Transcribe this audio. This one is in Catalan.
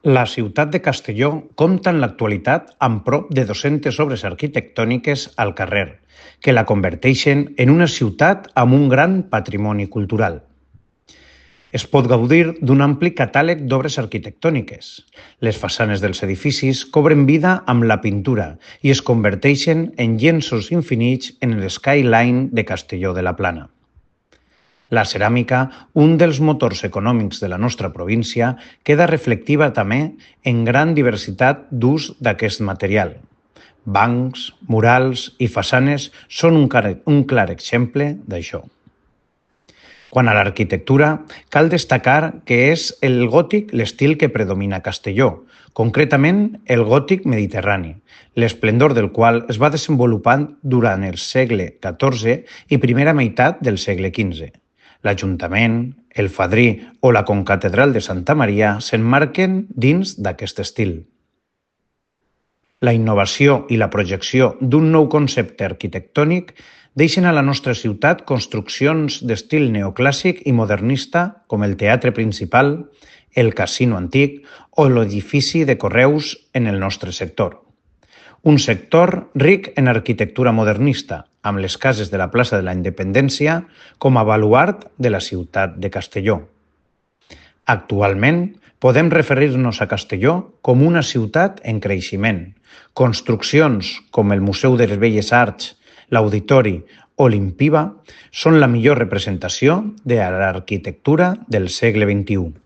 La ciutat de Castelló compta en l'actualitat amb prop de 200 obres arquitectòniques al carrer, que la converteixen en una ciutat amb un gran patrimoni cultural. Es pot gaudir d'un ampli catàleg d'obres arquitectòniques. Les façanes dels edificis cobren vida amb la pintura i es converteixen en llenços infinits en el skyline de Castelló de la Plana. La ceràmica, un dels motors econòmics de la nostra província, queda reflectiva també en gran diversitat d'ús d'aquest material. Bancs, murals i façanes són un clar exemple d'això. Quant a l'arquitectura, cal destacar que és el gòtic l'estil que predomina a Castelló, concretament el gòtic mediterrani, l'esplendor del qual es va desenvolupant durant el segle XIV i primera meitat del segle XV. L'Ajuntament, el Fadrí o la Concatedral de Santa Maria s'emmarquen dins d'aquest estil. La innovació i la projecció d'un nou concepte arquitectònic deixen a la nostra ciutat construccions d'estil neoclàssic i modernista com el Teatre Principal, el Casino Antic o l'edifici de Correus en el nostre sector. Un sector ric en arquitectura modernista, amb les cases de la plaça de la Independència com a baluard de la ciutat de Castelló. Actualment, podem referir-nos a Castelló com una ciutat en creixement. Construccions com el Museu de les Belles Arts, l'Auditori o l'Impiva són la millor representació de l'arquitectura del segle XXI.